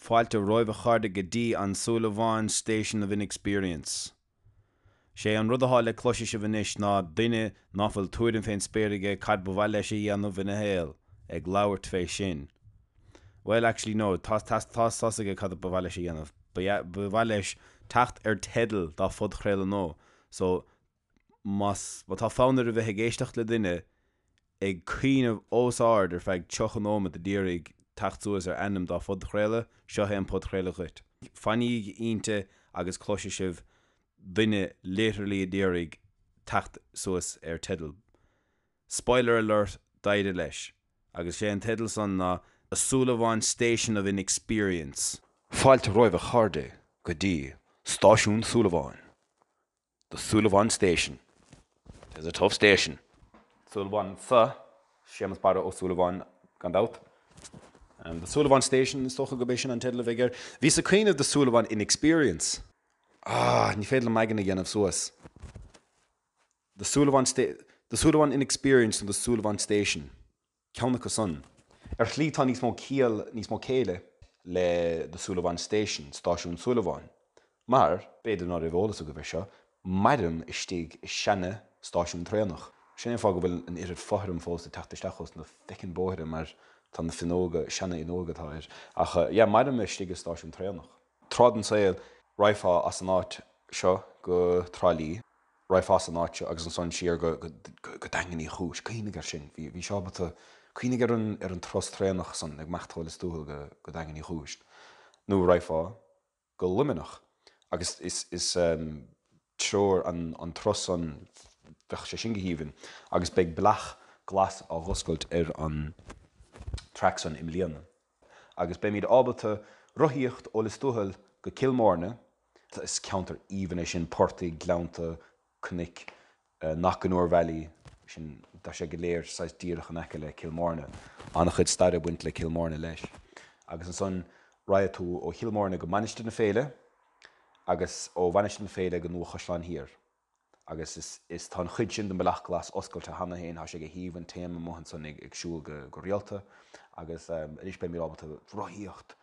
Fáilte romhaibh a chairde go dtí an Súilleabháin Station of Inexperience. Sé an rud athá le cloiseadh sibh anois ná duine ná fuil tuairim fén spéir aige cad ba mhaith leis a dhéanamh ina shaol, ag labhairt fé sin. Bhuel, actually no, tá tá tá's aige cad ba mhaith leis a dhéanamh. Ba ba mhaith leis teacht ar teideal dá phodchraoladh nua. So, más má tá fonn air a bheith ag éisteacht le duine ag caoineamh os ard ar feadh 30 nóiméad a d'iarraidh teacht suas ar ainm dá phodchraoladh, seo é an podchraoladh dhuit. Fanaígí inti agus cloisfidh sibh duine literally a d'iarraidh teacht suas ar teideal. Spoiler alert, d'éirigh leis. Agus sé an teideal san ná The Súilleabháin Station of Inexperience. Fáilte romhaibh a chairde go dtí Stáisiún Súilleabháin. The Súilleabháin Station. Tis a tough station. Súilleabháin anso, Séamus Barra Ó Súilleabháin gan dabht. The Súilleabháin Station, is dócha gurb é sin an teideal a bheidh air. Bhíos ag cuimhneamh The Súilleabháin Inexperience. Ah, ní féidir liom m'aigne a dhéanamh suas. The Súilleabháin The Súilleabháin Inexperience nó The Súilleabháin Station. Ceann acu san. Ar shlí tá níos mó ciall, níos mó céille le The Súilleabháin Station, Stáisiún Súilleabháin. Mar, b'fhéidir ná raibh eolas agaibh ar seo, mairim istigh i seana stáisiún traenach. Sin é an fáth go bhfuil an oiread fothram fós ag teacht isteach ós na feckin bóithre mar tá na finneoga, seana fhuinneoga atá air. Ach yeah, mairim istigh i stáisiún traenach. Tráth den saol, raghfá as an áit seo go Trá Lí, raghfá as an áit seo agus ansan siar go, go, go Daingean Uí Chúis. Cuimhnigh air sin. Bhí, bhí sé ábalta, cuimhnigh ar an, ar an turas traenach san ag imeacht ó Lios Tuathail go, go Daingean Uí Chúis. Nó raghfá go Luimneach agus is, is treoir an, an turas san, bheadh sé sin go haoibhinn. Agus beidh bealach glas á dh'oscailt ar an traic san i mbliana. Agus beimid ábalta rothaíocht ó Lios Tuathail go Cill Mháirne, Is ceantar aoibhinn é sin, portaigh, gleannta, cnoic, Knockanure Valley, sin, tá sé go léir saghas díreach in aice le Cill Mháirne. An-chuid staire ag baint le Cill Mháirne leis. Agus ansan raghadh tú ó Chill Mháirne go Mainistir na Féile agus ó Mhainistir na Féile go Nua Chaisleáin Thiar. Agus is, is, tá an chuid sin den Bealach Glas oscailte cheana féin, tá sé go haoibhinn, téim amuigh ansan ag, ag siúl go, go rialta agus anois beimid ábalta rothaíocht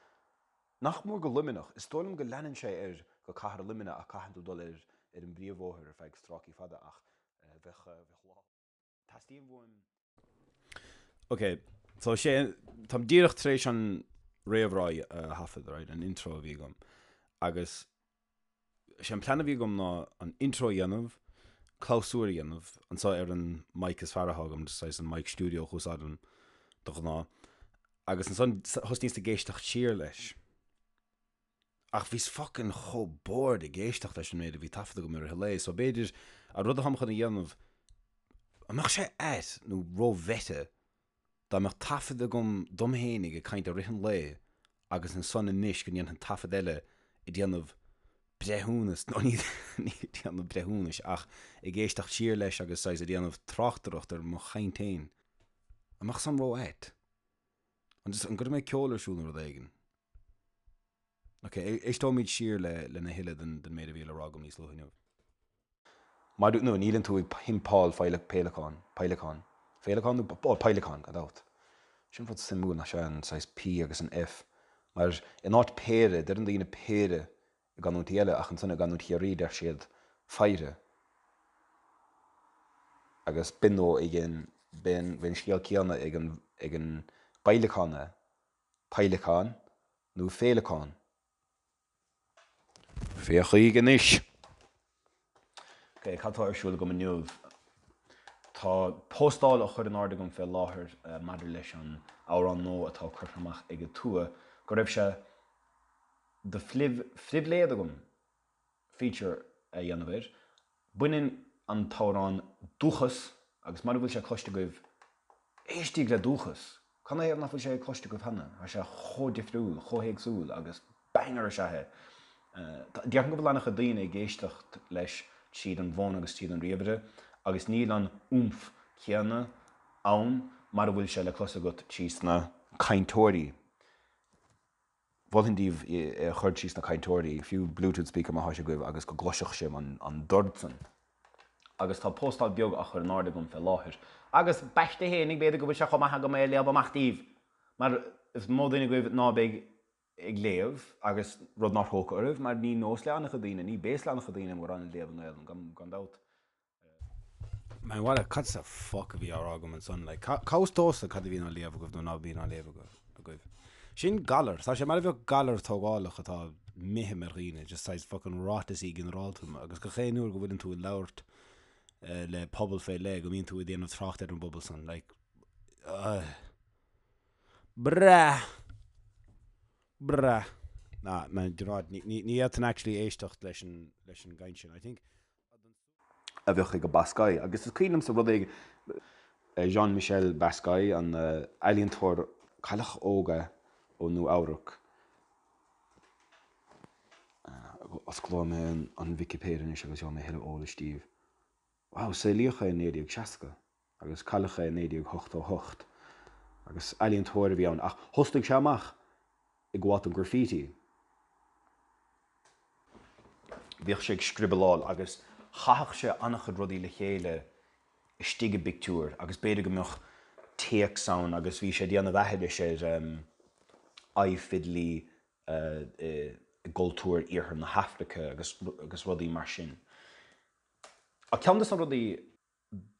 Nach mór go Luimneach. Is dóigh liom go leanann sé air go cathair Luimnigh ach caitheann tú dul ar ar an bpríomhbhóthar ar feadh stráicí fada ach bheadh bheadh lá. Teastaíonn uaim. Ok, so sé, táim díreach tar éis an réamhrá a thaifead, right, an intro a bhí agam agus sé an plean a bhí agam ná an intro a dhéanamh, clabhsúr a dhéanamh anseo ar an mic is fearr atá agam, saghas an mic stiúideo a úsáidim de ghnáth, agus ansan thosnaíos ag éisteacht siar leis. Ach bhíos fucking chomh bored ag éisteacht leis an méid a bhí taifeadta agam i rith an lae, so b'fhéidir an rud atáim chun a dhéanamh, an mbeadh sé ait nó ró-mheta dá mbeadh taifead agam dom fhéinig ag caint i rith an lae agus ansan anois go ndéanfainn taifead eile ag déanamh breithiúnas, nó ní ag déanamh breithiúnais ach ag éisteacht siar leis agus saghas ag déanamh tráchtaireacht ar mo chaint fhéin. An mbeadh san ró-ait? An just, an gcuirfidh mé ceol ar siúl nó rud éigin? Ok, éisteoimid siar le lena thuilleadh den den méid a bhí le rá agam níos luaithe inniu. Mar, nó níleann tú ag pumpáil féileacán, peidhleacán, féileacán nó, ó, peidhleacán, gan dabht. Sin rud suimiúil nach ea, an saghas P agus an F. Mar in áit péire, deireann daoine péire i gcanúintí eile ach ansan i gcanúint Chiarraí deir siad pheidhre. Agus b'in nó ag an, b'in an scéal céanna ag an, ag an bpeidhleacán é, peidhleacán nó féileacán. Féachaigí anois! Ok, cad tá ar siúl agam inniu? Tá póstáil á chur in airde agam fé láthair maidir leis an amhrán nua atá curtha amach ag Atua, go raibh sé de phribhléid agam feature a dhéanamh air. Baineann an t-amhrán Dúchas, agus mara bhfuil sé cloiste agaibh, éistigí le Dúchas! Canathaobh nach bhfuil sé cloiste agaibh cheana? Tá sé chomh difriúil, chomh héagsúil agus banger is ea é. Déarfainn go bhfuil an-chuid daoine ag éisteacht leis tríd an bhfón agus tríd an ríomhaire agus níl an oomph céanna ann mar a bhfuil sé le clos agat trí sna cainteoirí. Mholfainn daoibh é a chur trí sna cainteoirí, fiú Bluetooth speaker má thá sé agaibh agus go gcloisfeadh sibh an dord san. Agus tá póstáil beag á chur in airde agam fé láthair. Agus b'aisteach fhéinig, b'fhéidir go bhfuil sé chomh maith agam é a léamh amach daoibh, mar is mó duine agaibh ná beidh. Ag léamh, agus rud nár thógtha oraibh, mar ní nós le an-chuid daoine, ní béas le an-chuid daoine mórán ag léamh i nGaelainn, gan dabht. Man, what a, cad sa fuck a bhí á rá agam ansan, like, cá bhfios domhsa cad a bhíonn á léamh agaibh nó ná bíonn á léamh agaibh. Sin galar, tá sé mar a bheadh galar tógálach atá imithe ar dhaoine, just saghas fucking ráiteasaí ginearálta, agus gach aon uair go bhfuileann tú ag labhairt le pobal fé leith, go mbíonn tú ag déanamh trácht ar an bpobal san, like, ugh. Breá! Breá! Nah, man, do you know what, ní, ní, ní fhéadfainn actually éisteacht leis an, leis an gcaint sin. I think a bheadh ag Basquiat. Agus is cuimhin liomsa rud éigin, Jean-Michel Basquiat, an ealaíontóir cailleach óg é ó Nua Eabhrac. Osclóidh mé an Vicipéid anois agus gheobhaidh mé a thuilleadh eolais daoibh. Wow, saolaíodh é i 1960. agus cailleadh é i 1988, agus ealaíontóir a bhí ann, ach thosnaigh sé amach ag gabháil don graffiti. Bhíodh sé ag scriobaláil agus chaitheadh sé an-chuid rudaí le chéile istigh i bpictiúr agus b'fhéidir go mbeadh téacs ann agus bhí sé ag déanamh aithris ar aghaidh fidlí i gcultúr iarthar na hAfraice agus rudaí mar sin. Ach ceann de na rudaí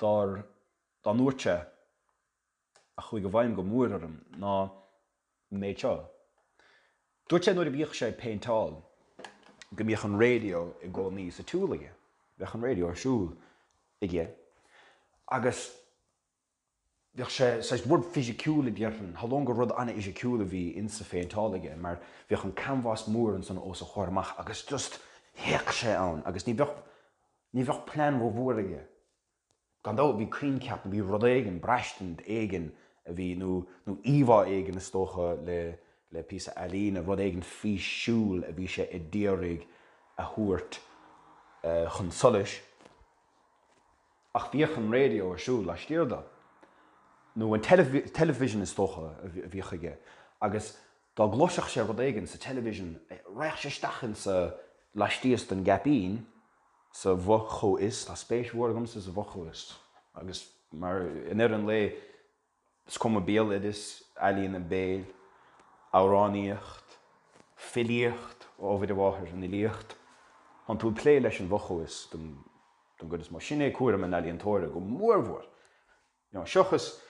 dár dá ndúirt sé a chuaigh i bhfeidhm go mór orm ná an méid seo. Dúirt sé nuair a bhíodh sé ag péinteáil go mbíodh an raidió i gcónaí sa tsiúl aige. Bheadh an raidió ar siúl aige agus bheadh sé saghas rud fisiciúil a déarfainn, shamhlóinn gur rud an-fhisiciúil a bhí insa phéinteáil aige mar bheadh an canbhás mór ansan os a chomhair amach agus just théadh sé ann agus ní bheadh Ní bheadh plean rómhór aige. Gan dabht bhí coincheap nó bhí rud éigin, braistint éigin a bhí, nó nó íomhá éigin is dócha le le píosa ealaíne, rud éigin físiúil a bhí sé a d'iarraidh a thabhairt chun solais. Ach bhíodh an raidió ar siúl laistiar de. Nó an television is dócha a bhíodh aige. Agus dá gcloisfeadh sé rud éigin sa television, raghadh sé isteach insa, laistíos den gceaipín, sa bhfo-chomhfhios, tá spéis mhór agamsa sa bhfo-chomhfhios, agus mar, i ndeireadh an lae, is cuma béaloideas, ealaíona béil, amhránaíocht, filíocht, ó Mhuire Mháthair, an fhilíocht, tánn tú ag plé leis an bhfo-chomhfhios don gcuid is mó. Sin é cúram an ealaíontóra go mórmhór. You know, seachas,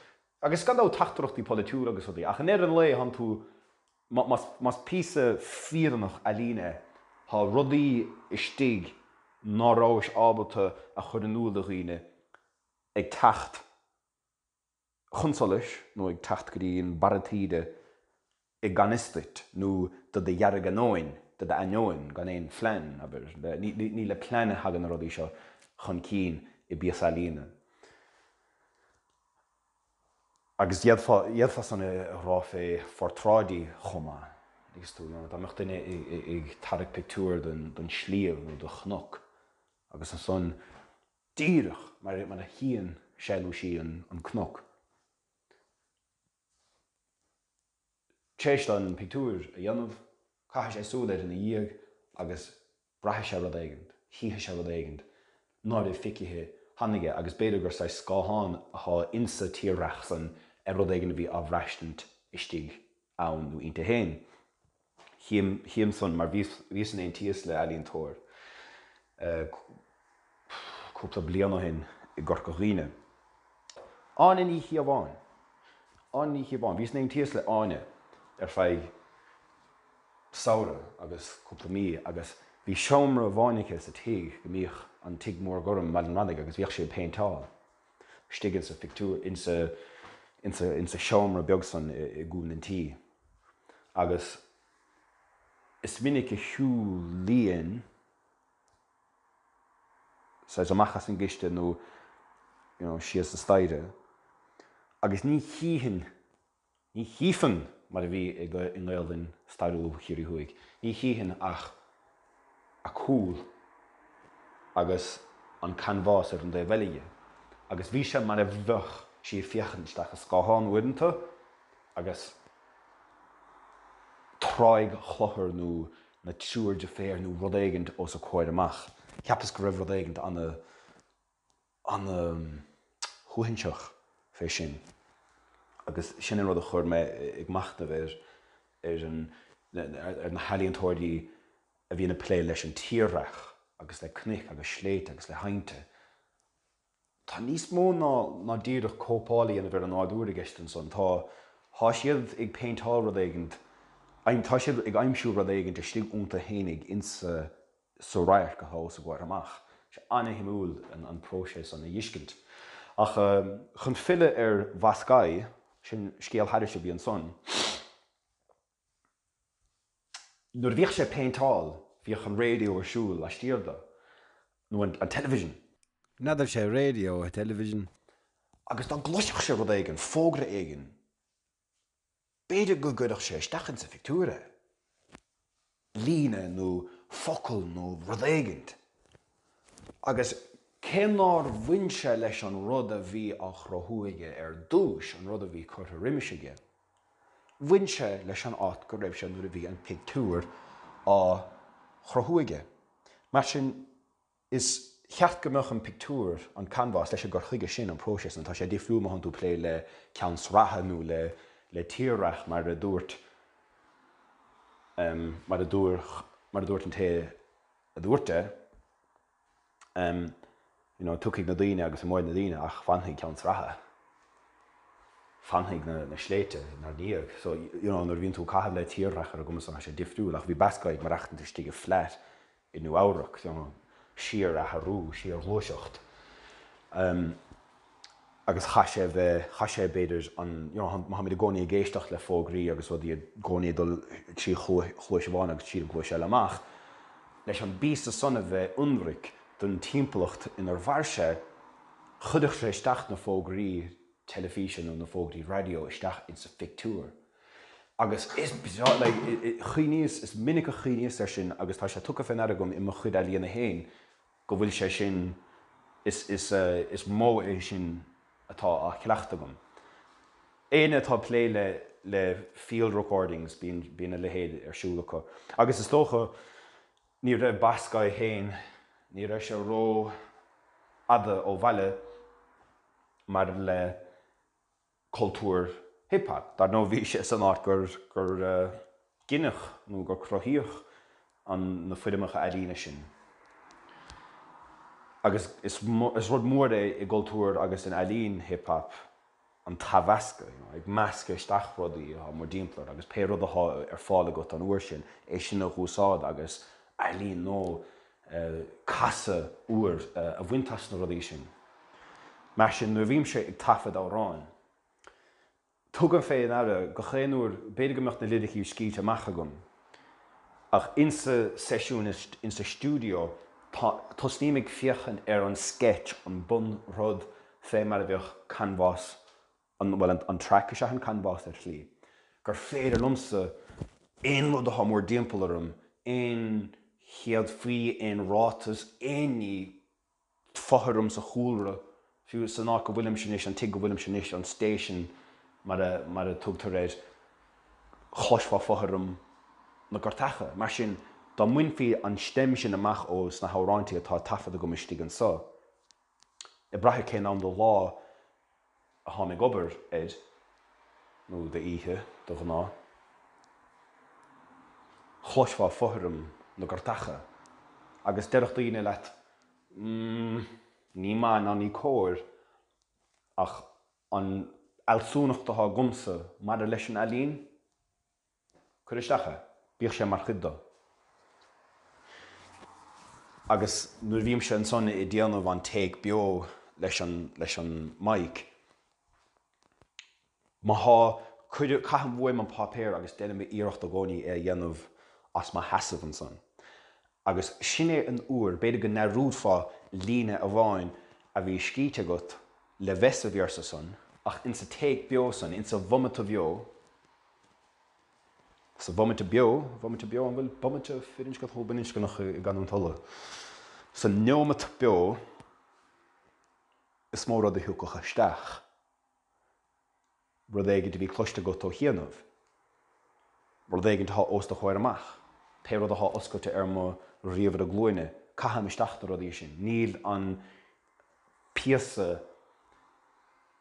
agus gan dabht teachtaireachtaí polaitiúla agus rudaí, ach i ndeireadh an lae tánn tú, más, más píosa fírinneach ealaíne é, tá rudaí istigh ná rabhais ábalta a chur in iúl do dhaoine ag teacht chun solais nó ag teacht go dtí an barra taoide i gan fhios duit, nó do do dheargainneoin, do d'ainneoin, gan aon phlean, abair. Ní le plean a thagann na rudaí seo chun cinn i bpíosa ealaíne. Agus d'fhéadfá, d'fhéadfá san a rá fé phortráidí chomh maith. Thuigeas tú, dá mbeadh duine ag tarrac pictiúir don sliabh nó do chnoc agus ansan díreach mar a chíonn sé nó sí an cnoc, Tar éis dó an pictiúr a dhéanamh, caithfidh sé súil air ina dhiaidh agus braithfidh sé rud éigint, chífidh sé rud éigint ná raibh feicthe cheana aige agus b'fhéidir gur saghas scáthán athá insa tírdhreach san ar rud éigin a bhí á bhraistint istigh ann nó inti féin. Chím, chím san mar bhíos, bhíos in aontíos le ealaíontóir cúpla bliain ó shin i gCorca Dhuibhne. Áine Ní Chíobháin. Áine Ní Chíobháin. Bhíos in aontíos le Áine ar feadh samhradh agus cúpla mí agus bhí seomra amháin aici sa tigh go mbíodh an tigh mór gorm i mBaile an Rannaigh agus bhíodh sí ag péinteáil istigh insa phictiúr, insa, insa, insa seomra beag san i gcúl an tí. Agus is minic a shiúlaínn saghas amach as an gcistin nó you know síos an staighre agus ní chífinn, ní chífinn mar a bhí i nGaelainn stairiúil Chiarraí Thuaidh, ní chífinn ach a cúl agus an canbhás ar an dtaobh eile dhi agus bhí sé mar a bheadh sí ag féachaint isteach i scáthán uaireanta agus Tráigh Chlochair nó na Triúr Deirféar nó rud éigint os a comhair amach. Cheapas go raibh rud éigint ana, ana shuaithinseach fé sin. Agus sin an rud a chuir mé ag machnamh ar, ar an. ar na healaíontóirí a bhíonn ag plé leis an tírdhreach agus le cnoic agus sléibhte agus le haibhnte. Tá níos mó ná ná díreach cóipeáil a dhéanamh ar an nádúr i gceist ansan. Tá, tá siad ag péinteáil rud éigint, tá siad ag aimsiú rud éigint istigh iontu fhéinig insa sa radharc atá os a gcomhair amach. Tá sé an-shuimiúil an próiseas san a fheiscint. Ach chun filleadh ar Bascaí, sin scéal thairis a bhí ansan. Nuair a bhíodh sé ag péinteáil, bhíodh an raidió ar siúl laistiar de, nó an television. N'fheadar sé raidió, television. Agus dá gcloisfeadh sé rud éigin, fógra éigin, b'fhéidir go gcuirfeadh sé isteach insa phictiúr é. Líne nó focal nó rud éigint. Agus cé nár bhain sé leis an rud a bhí á chruthú aige ar dtúis, an rud a bhí curtha roimis aige, Bhain sé leis an áit go raibh sé nuair a bhí an pictiúr á chruthú aige. Mar sin, is cheart go mbeadh an pictiúr, an canbhás, leis an gcur chuige sin, an próiseas san. Tá sé difriúil má thánn tú ag plé le ceann sraithe nó le le tírdhreach mar a dúirt mar a dúirt mar a dúirt an té a dúirt é. You know, tiocfaidh na daoine agus imeoidh na daoine ach fanfaidh ceann sraithe. Fanfaidh na, na sléibhte inár ndiaidh. So, you know, nuair a bhíonn tú ag caitheamh le tírdhreach ar an gcuma san, tá sé difriúil ach bhí Bascaí ag maireachtaint istigh i flat i Nua Eabhrac, you know, síor-athrú, síor-ghluaiseacht. Agus chaith sé a bheith, chaith sé b'fhéidir an, you know, má tháimid i gcónaí ag éisteacht le fógraí agus rudaí i gcónaí ag dul trí chluais amháin agus tríd an gcluais eile amach, leis an bpíosa san a bheith ionraic don timpeallacht inar mhair sé, chuirfeadh sé isteach na fógraí teilifíse nó na fógraí raidió isteach insa phictiúr. Agus is breá, like, chuimhníos, is minic a chuimhníos air sin agus tá sé tugtha fé ndeara agam i mo chuid ealaíona féin, go bhfuil sé sin, is, is, is modh é sin atá á chleachtadh agam. Éinne atá ag plé le, le field recordings, bíonn, bíonn a leithéid ar siúl acu. Agus is dócha, ní raibh Bascaí féin, ní raibh sé ró fhada ó bhaile maidir le cultúr hip hop. Dar ndóigh bhí sé san áit gur gur gineadh nó gur cruthaíodh an na foirmeacha ealaíne sin. Agus is is rud mór é i gcultúr agus in ealaín hip hop an t-athmheascadh, you know, ag meascadh isteach rudaí atá mórdtimpeall ort agus pé rud atá ar fáil agat an uair sin, é sin a dh'úsáid agus ealaín nó casadh úr a bhaint as na rudaí sin. Mar sin, nuair a bhímse ag taifead amhráin, tugaim fé ndeara gach aon uair, b'fhéidir go mbeadh na liricí scríte amach agam, ach insa seisiún, insa stiúideo, tá, tosnaím ag féachaint ar an sketch, an bunrud, fé mar a bheadh canbhás an, bhuel, an traic is ea an canbhás ar shlí, gur féidir liomsa aon rud atá mórdtimpeall orm, aon chéadfaí, aon ráiteas, aon ní, fothram sa chúlra, fiú san áit go bhfuilimse anois, an tigh go bhfuilimse anois, an station mar a, mar a tugtar air, chloisfeá fothram na gcairteacha. Mar sin, dá mbainfí an stem sin amach ó sna hamhráintí atá taifeadta agam istigh anso, ag brath ar cén am de lá a tháim ag obair air, nó d'oíche, de ghnáth, chloisfeá fothram na gcairteacha agus déarfadh daoine leat, mm, ní maith ná ní cóir, ach an fhealsúnacht atá agamsa maidir leis an ealaín, Cuir isteach é. Bíodh sé mar chuid de. Agus nuair a bhímse ansan ag déanamh an take beo leis an, leis an mic, má thá, cuir, caithim uaim an páipéar agus déanaim iarracht i gcónaí é a dhéanamh as mo sheasamh ansan. Agus sin é an uair, b'fhéidir go ndearúdfá líne amháin a bhí scríte agat le bheith sa véarsa san, ach insa take beo san, insa bhomaite bheo, Sa bhomaite beo, bhomaite beo, an bhfuil bomaite firinscneach nó baininscneach i gcanúint Uladh? Sa neomat beo is mó rud a thiocfadh isteach, rud éigint a bhí cloiste agat ó chianaibh, rud éigint atá os do chomhair amach, pé rud atá oscailte ar mo ríomhaire glúine, caithim isteach na rudaí sin. Níl an píosa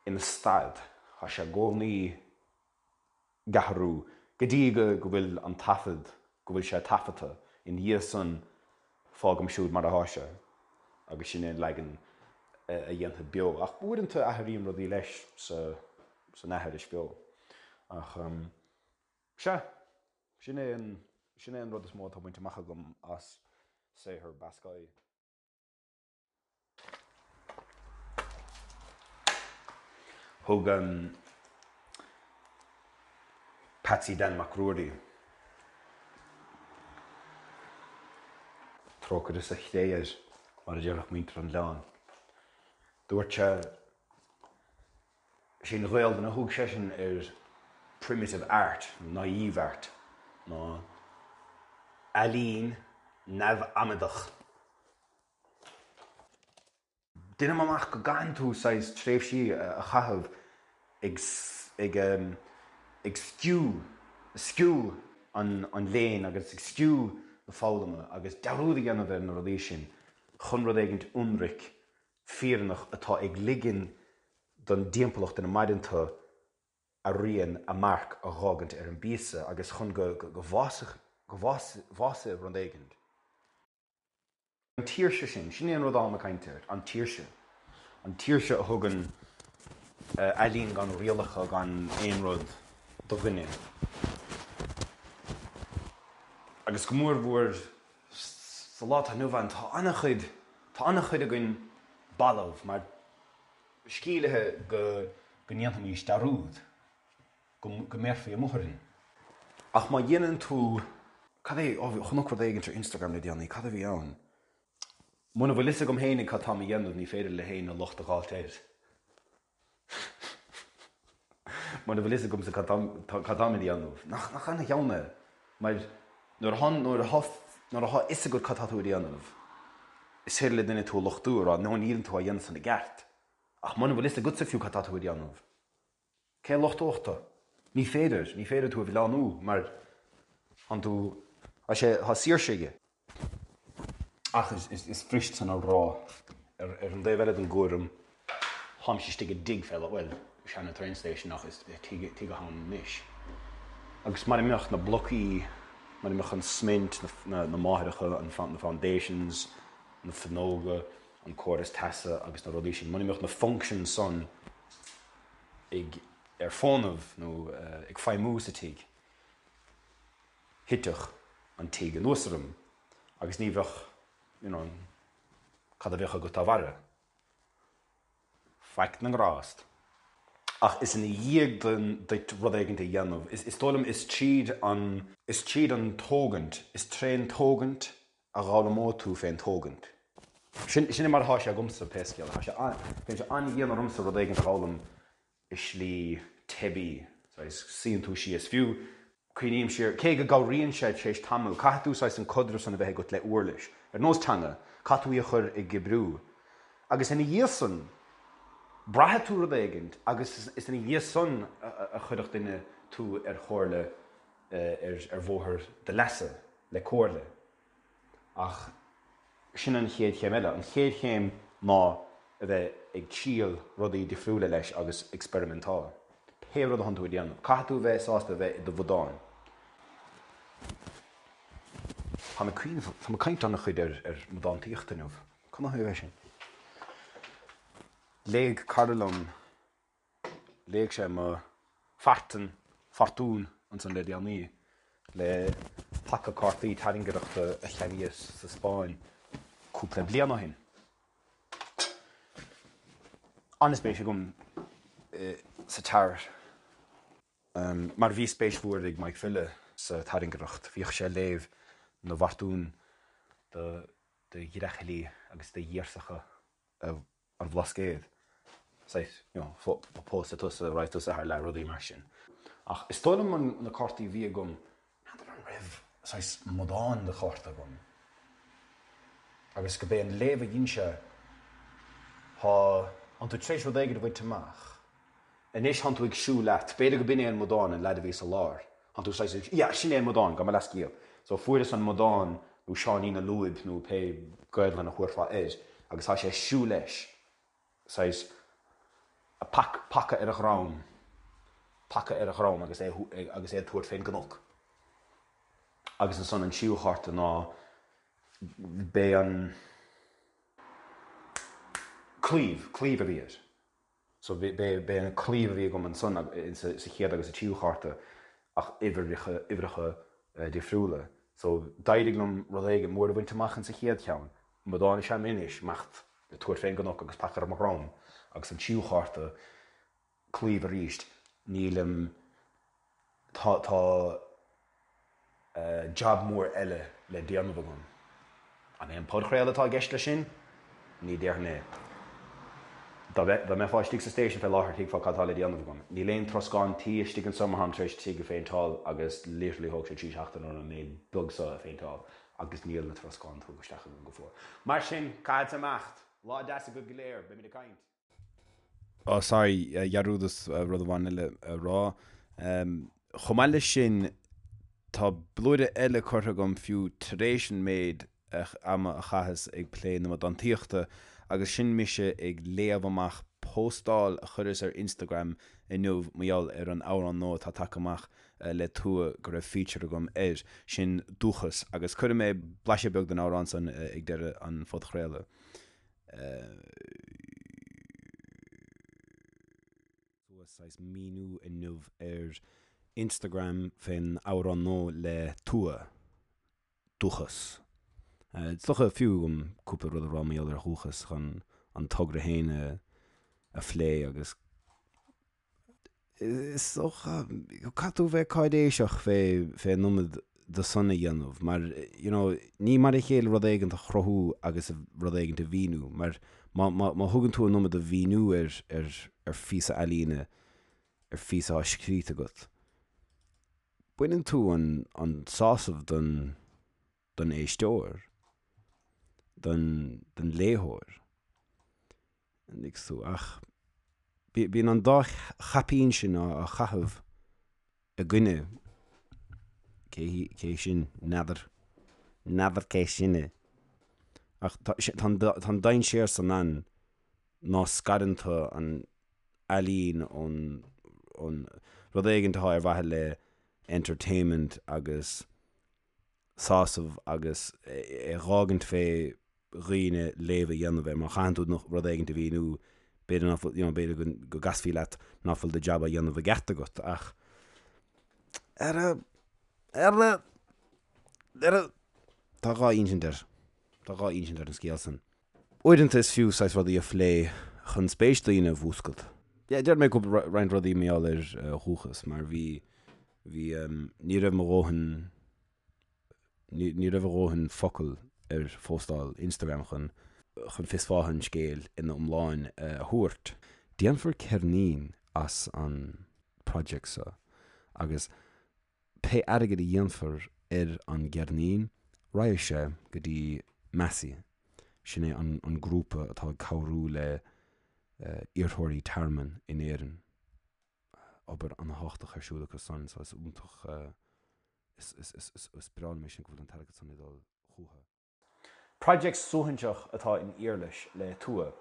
ina stad, tá sé i gcónaí ag athrú. Go dtí go go bhfuil an taifead, go bhfuil sé taifeadta, ina dhiaidh san fágaim siúd mar atá sé agus sin é an leagan a dhéanfad beo. Ach uaireanta athraím rudaí leis sa san aithris beo. Ach sea, sin é an sin é an rud is mó atá bainte amach agam as saothar Bascaille. Thug Patsy Dan Mac Ruairí trócaire sa chré air, mar a déarfadh muintir an oileáin. Dúirt sé, sé an Ghaelainn a thug seisean ar primitive art, nó naive art, ná ealaín neamh-amadach. Deinim amach go gcaitheann tú saghas tréimhsí a chaitheamh ag ag ag sciú, sciú an an léinn agus ag sciú na foghlama agus dearúd a dhéanamh ar na rudaí sin chun rud éigint ionraic, fírinneach atá ag ligean don dtimpeallacht ina maireann tú a rian, a marc a dh'fhágaint ar an bpíosa agus chun go go bhfásfadh, go bhfásfaidh rud éigint. An tsaoirse sin, sin é an rud atáim ag caint air, an tsaoirse. An tsaoirse a thugann ealaín gan rialacha, gan aon rud do dhuine. Agus go mór mhór sa lá atá inniu ann, tá an-chuid, tá an-chuid againn balbh mar scílithe go ndéanfaimis dearúd. go mbéarfaí amuigh orainn. Ach má dhéanann tú, cad é, ó, chonac rud éigint ar Instagram le déanaí, cad a bhí ann? Muna bhfuil fhios agam fhéinig cad táim a dhéanamh ní féidir le héinne locht a dh'fháilt air. Muna bhfuil fhios agamsa cad táim a dhéanamh. Nach, nach ana-cheann é? Mar nuair atá, nuair atá, nuair atá fhios agat cad tá tú a dhéanamh, is féidir le duine tú a lochtú, a rá, no níleann tú á dhéanamh san i gceart. Ach muna bhfuil fhios agatsa fiú cad tá tú a dhéanamh, Cé a lochtódh tú? Ní féidir, ní féidir tú a mhilleánú mar thánn tú, tá sé, tá saoirse aige. Ach is fuirist san a rá. Ar an dtaobh eile den gcúram, táimse istigh i dtigh fé láthair, bhuel, seana train station ach is tigh atá ann anois. Agus mara mbeadh na blocaí, mara mbeadh an smint, na máithreacha, na foundations, na fuinneoga, an córas teasa agus na rudaí sin, mura mbeadh na functions san ag ar fónamh nó ag feidhmiú sa tigh, thitfeadh an tigh anuas orm agus ní bheadh, you know, cad a bheadh agat dá bharra? Faic na ngrást. Ach is ina dhiaidh duit rud éigint a dhéanamh, is dóigh liom is tríd an, is tríd an tógaint, is trén tógaint a dh'fhoghlaimeoidh tú fén tógaint. Sin, sin é mar atá sé agamsa, pé scéal é. Tá sé an, bíonn sé an-dhian ormsa rud éigint a dh'fhoghlaim i slí teibí, saghas, suíonn tú síos, fiú, cuimhním siar, cé go gcabhraíonn sé tar éis tamaill, caithfidh tú saghas an caidreamh san a bheith agat le uirlis, ar nós teanga, caithfidh tú í a chur ag oibriú. Agus ina dhiaidh san, braithfidh tú rud éigint agus is ina dhiaidh san a chuirfeadh duine tú ar chomhairle, ar bhóthar do leasa. le comhairle. Ach sin an chéad chéim eile. An chéad chéim ná a bheith ag triail rudaí difriúla leis agus experimentáil. Pé rud atánn tú a dhéanamh, caithfidh tú a bheith sásta a bheith i do bhudán. Táim ag cuimhneamh, táim ag caint an-chuid ar ar mo dántaíocht inniu. Canathaobh é sin? Léigh cara liom Léigh sé mo phartan, fortún, ansan le déanaí, le paca cártaí tairngreachta a cheannaíos sa Spáinn cúpla bliain ó shin. An-spéis agam sa tarot, mar bhí spéis mhór ag Mike File sa tairngreacht. Bhíodh sé ag léamh na bhfortún do ghreachaillí agus do ghirseacha an Bhlascaoid, saghas, you know, pósfaidh tusa, raghaidh tusa thar lear, rudaí mar sin. Ach is dóigh liom na cártaí a bhí agam, n'fheadar an raibh saghas mbodán de chárta agam agus go b'é an léamh a dhein sé, thá, thánn tú tar éis rud éigin a bhaint amach, anois thánn tú ag siúl leat, b'fhéidir go b'in é an mbodán, an leaid a bhí sa lár, thánn tú saghas ag, yeah, sin é an mbodán, gabh mo leathscéal. So fuaireas an mbodán nó Seáinín na Lúib nó pé Gaelainn a thabharfá air agus tá sé ag siúl leis, saghas, a pac, paca ar a dhrom. Paca ar a dhrom agus é agus é ag tabhairt fén gcnoc. Agus ansan an tríú chárta ná b'é an claíomh, claíomh a bhí air. So b'é an claíomh a bhí agam ansan sa chéad agus sa tríú chárta ach uimhreacha, uimhreacha difriúla. So d'éirigh liom rud éigin mór a bhaint amach insa chéad cheann. Amadán is ea mé anois, imeacht ag tabhairt fén gcnoc agus paca ar mo dhrom agus an tríú chárta, claíomh arís, nílim, tá, tá jab mór eile le déanamh agam. An é an podchraoladh atá i gceist leis sin? Ní déarfainn é. Dá mbeifeá istigh sa station fé láthair thuigfeá cad tá le déanamh agam. Níl aon troscán tí istigh anso mar táim tar éis tigh a phéinteáil agus literally thóg sé 3 seachtaine orm an méid beag so a phéinteáil agus níl na troscáin tugtha isteach agam go fóill. Mar sin, caithfeadsa imeacht! Lá deas agaibh go léir, beimid ag caint! Oh sorry, dhearúdas rud amháin eile a rá. Chomh maith leis sin, tá blúire eile curtha agam fiú tar éis an méid ama a chaitheas ag plé na amadántaíochta agus sin mise ag léamh amach póstáil a chuireas ar Instagram inniu mar gheall ar an amhrán nua atá tagtha amach le Tua go raibh feature agam air, sin Dúchas, agus cuirfidh mé blaiseadh beag den amhrán san ag deireadh an phodchraoladh. Suas saghas míniú inniu ar Instagram fén amhrán nua le Tua, Dúchas. Is dócha fiú agam cúpla rud a rá mar gheall ar Dhúchas chun an togra féin a phlé agus Is dócha, caithfidh tú bheith cáiréiseach fé fé an iomad de san a dhéanamh, mar, you know, ní mar a chéile rud éigint a chruthú agus rud éigint a mhíniú, mar má, má, má thugann tú an iomad de mhíniú ar, ar, ar phíosa ealaíne, ar phíosa atá scríte agat, baineann tú an, an sásamh don, don éisteoir, don, don léitheoir. An dtuigeann tú? Ach bíonn an dá chaipín sin á chaitheamh i gcoinne cé cé sin, n'fheadar. N'fheadar cé sin é. Ach tá an dainséar san ann ná scarann tú an ealaín ón ón rud éigin atá ar mhaithe le entertainment agus sásamh agus é a dh'fhágaint fé dhaoine léamh a dhéanamh air. Má chaitheann tú rud éigint a mhíniú, b'fhéidir ná fuil, you know, b'fhéidir go, go gcasfaí leat ná fuil do jab á dhéanamh i gceart agat ach ar a, ar a, ar a, tá dhá insint air, tá dhá insint ar an scéal san. Uaireanta is fiú saghas rudaí a phlé chun spéis daoine a mhúscailt. Yeah, déarfaidh mé cúpla, roinnt rudaí mar gheall ar dhúchas mar bhí, bhí, ní raibh mo dhóthain, ní, ní raibh a dhóthain focal ar phóstáil Instagram chun, chun fios fátha an scéil ina iomláin a thabhairt. Déanfar ceirnín as an project seo agus Pé airgead a dhéanfar ar an gceirnín, raghaidh sé go dtí Massey, sin é an grúpa atá ag cabhrú le iarrthóirí tearmainn in Éirinn. Obair an-thábhachtach ar siúl acu san, so is iontach, is breá liom é sin go bhfuil an t-airgead san ag dul chucu. Project suaithinseach atá in Iarlais le Tua.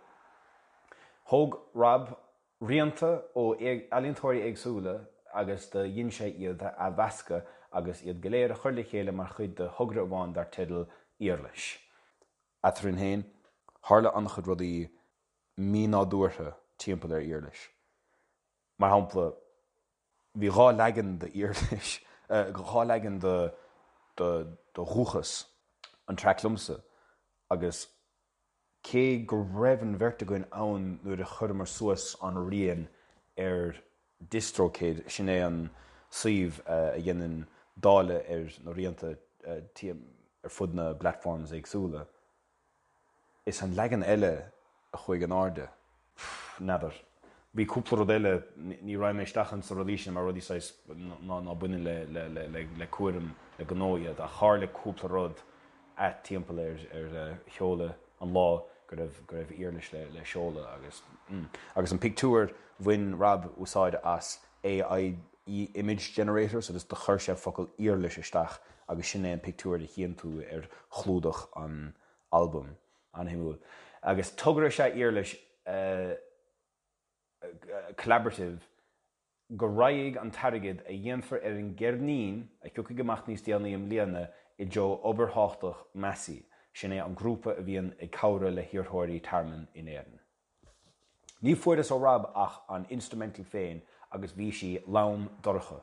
Thóg Rob rianta ó ealaíontóirí éagsúla agus do dhein sé iad a athmheascadh agus iad go léir a chur le chéile mar chuid de thogra amháin dar teideal Iarlais. Eadrainn féin, tharla an-chuid rudaí mínádúrtha timpeall ar Iarlais. Mar shampla, bhí dhá leagan d'Iarlais, dhá leagan de do Dhúchas, an traic liomsa, agus cé go raibh an bheirt againn ann nuair a chuireamar suas an rian ar DistroKid, sin é an suíomh a dhéanann dáileadh ar na rianta ar fud na bplatforms éagsúla, Is an leagan eile a chuaigh in airde. N'fheadar. Bhí cúpla rud eile, ní raghaidh mé isteach ins na rudaí sin mar rudaí saghas ná ná baineann le le le le le cúram le gnó iad ach tharla cúpla rud ait timpeall ar ar sheoladh an lá go raibh go raibh Iarlais le le seoladh agus mm. Agus an pictiúr bhain Rob úsáid as AI image generator so just do chuir sé focal Iarlais isteach agus sin é an pictiúr a chíonn tú ar chlúdach an albaim. An-shuimiúil. Agus togra is ea Iarlais collaborative. go raghaidh an t-airgead a dhéanfar ar an gceirnín a thiocfaidh amach níos déanaí i mbliana i dtreo obair thábhachtach Masi, sin é an grúpa a bhíonn ag cabhrú le hiarrthóirí tearmainn in Éirinn. Ní fuaireas ó Rob ach an instrumental féin agus bhí sí lom dorcha.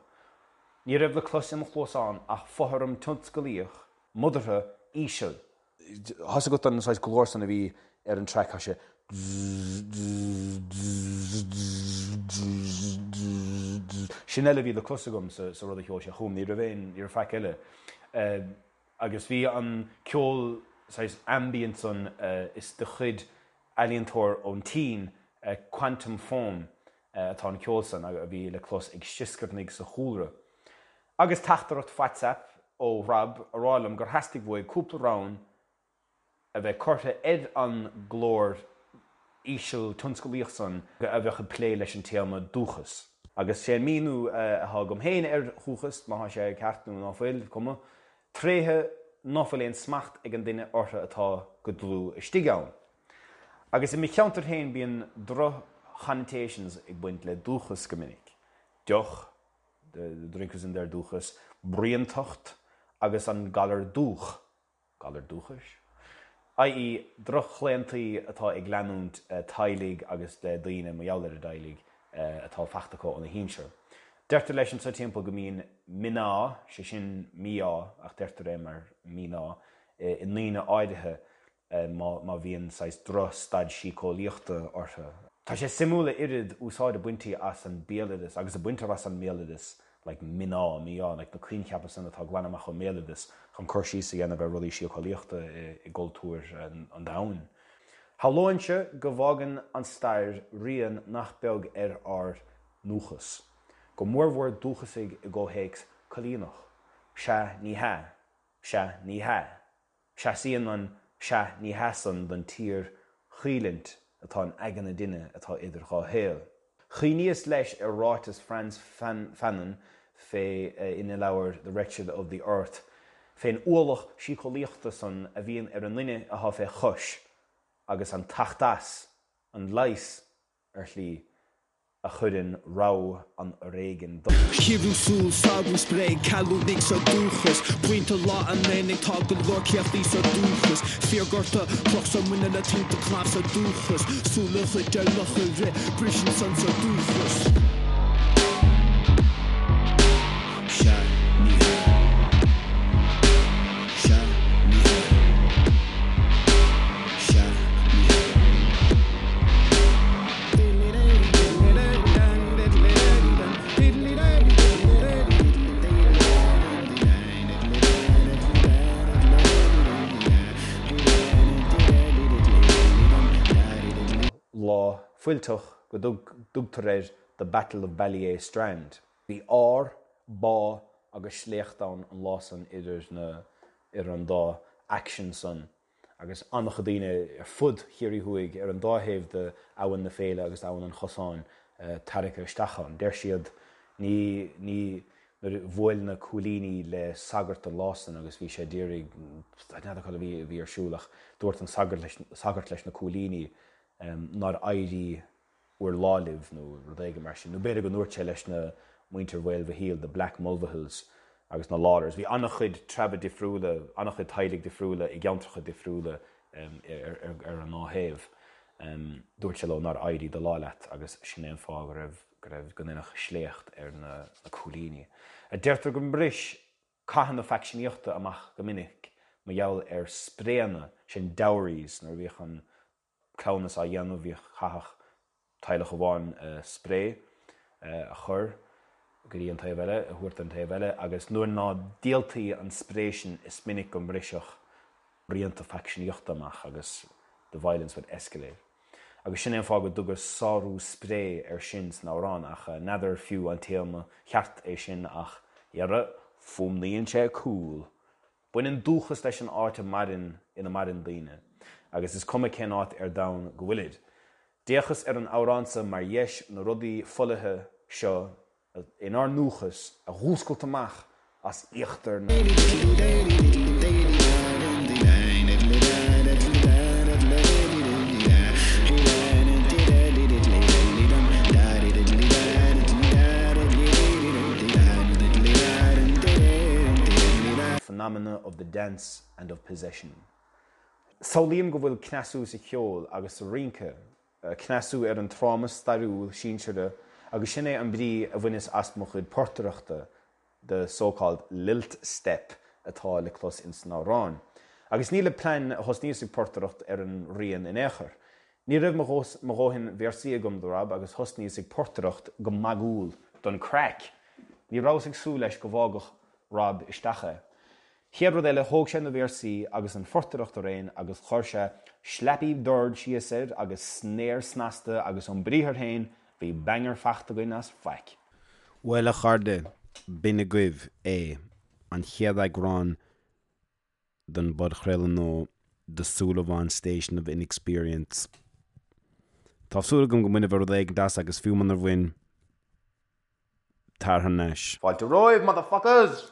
Ní raibh le clos i mo chluasán ach fothram tionscalaíoch, modartha, íseal. Tá's agat an saghas glór san a bhí ar an traic, tá sé Sin uile a bhí le clos agam sa rud a sheol sé chugam, ní raibh aon, ní raibh faic eile. Agus bhí an ceol saghas ambient san, is de chuid ealaíontóir ón tSín, Quantum Foam, atá an ceol san, a bhí le clos ag sioscarnaigh sa chúlra. Agus teachtaireacht WhatsApp ó Rob a rá liom gur theastaigh uaidh cúpla rann a bheith curtha ar an nglór íseal tionscalaíoch san a bheadh ag plé leis an téama dúchas. Agus sé an míniú atá agam féin ar dhúchas, má tá sé ceart nó ná fuil, cuma, tréithe ná fuil aon smacht ag an duine orthu atá go dlúth istigh ann. Agus i mo cheantar féin bíonn droch-chonnotations ag baint le dúchas go minic. Deoch, the drink is in their dúchas, bruíontacht agus an galar dúch, galar dúchais? i.e. droch-chlaontaí atá ag leanúint teaghlaigh agus daoine, mar gheall ar a dteaghlaigh, atá fachta acu óna shinsir. Deirtear leis anso timpeall go mbíonn miná, sé sin mí-ádh, ach deirtear é mar míná, i ndaoine áirithe má bhíonn saghas droch-staid síceolaíochta orthu. Tá sé suimiúil a oiread úsáid a baintí as an béaloideas, agus a baintear as an mbéaloideas, like miná, mí-ádh, like na coincheapa san atá glan amach ón mbéaloideas chun cur síos a dhéanamh ar rudaí síceolaíochta i gcultúir an domhain. Shamhlóinnse go bhfágann an stair rian nach beag ar ár ndúchas, go mórmhór dúchasaigh i gcomhthéacs coilíneach. Sea, ní hea. Sea, ní hea. Seasaíonn an 'sea, ní hea' san don tsíor-choimhlint atá in aigne duine atá idir dhá shaol. Chuimhníos leis ar ráiteas Frantz Fanon fé ina leabhar The Wretched of the Earth fén ualach síceolaíochta san a bhíonn ar an nduine atá fé chois agus an teacht as, an leigheas, ar shlí, a chuireann rogha an fhoréigin dó. Ciorrú súl, sárú spré, ceallúnaigh sa dúchas, Pointe lá an aonaigh, tá go leor céachtaí sa dúchas, Fíorghorta, cloch sa muineál le tinte cnámh sa dúchas, Súil a ghoid ar luch a rith, briseann san sa dúchas. Sea, ní hea. Sea, ní hea. Sea, ní hea. Lá fuilteach go dtugtar air The Battle of Ballyeagh Strand. Bhí ár, bá agus sléacht ann an lá san idir na, idir an dá fhaction san. agus an-chuid daoine ar fud Chiarraí Thuaidh, ar an dá thaobh de Abhainn na Féile agus Abhainn an Chosáin, tarraicthe isteach ann. Deir siad, ní, ní, nuair a bhuail na cúilíní le sagart an lá san agus bhí sé d'iarraidh, n'fheadar cad a bhí, a bhí ar siúl ach dúirt an sagart leis, sagart leis na cúilíní nár éirí bhur lá libh nó rud éigin mar sin. Nó b'fhéidir go ndúirt sé leis na muintir Mhaolmhichíl, the Black Mulvihills agus na Lawlors. Bhí an-chuid treabha difriúla, an-chuid teaghlaigh difriúla i gceantracha difriúla ar an dá thaobh. Dúirt sé leo nár éirí do lá leat agus sin é an fáth go raibh, go raibh, go ndeineadh sléacht ar na cúilíní. Deirtear go mbris cathanna faicseanaíochta amach go minic mar gheall ar spréanna, sin dowries, nuair a bhíodh an cleamhnas á dhéanamh, bhíodh, chaithfeadh teaghlach amháin spré a chur go dtí an taobh eile, a thabhairt don taobh eile, agus nuair ná díoltaí an spré sin is minic go mbrisfeadh bruíonta faicseanaíochta amach agus the violence would escalate. Agus sin é an fáth go dtugadh sárú spré air sin san amhrán, ach n'fheadar fiú an téarma cheart é sin ach, dhera, fuaimníonn sé cool! Baineann dúchas leis an áit a maireann, ina maireann daoine, agus is cuma cén áit ar domhan go bhfuilid. D'fhéachas ar an amhrán seo mar dheis na rudaí folaithe seo inár ndúchas a dh'fhuascailt amach as íochtar na. dance and of possession. Samhlaím go bhfuil cneasú sa cheol agus sa rince, cneasú ar an tráma stairiúil sinseartha agus sin é an brí a bhaineas as mo chuid portaireachta, the so-called lilt step atá le clos ins an amhrán. Agus ní le plean a thosnaíos ag portaireacht ar an rian in aon chor. Ní raibh mo dhóthain véarsaí agam do Rob agus thosnaíos ag portaireacht go magúil don craic. Ní rabhas ag súil leis go bhfágfadh Rob isteach é. Chéad rud eile, thóg sé na véarsaí agus an phortaireacht araon agus chuir sé slappy dord síos air agus snare snasta agus ón briathar féin, bhí banger fachta againn as faic. Bhuel, a chairde, b'in agaibh é, an chéad eagrán den bpodchraoladh nua The Súilleabháin Station of Inexperience. Tá súil agam go mbainfidh rud éigin as agus fiú munar bhain, tar thar n-ais. Fáilte romhaibh, motherfuckers!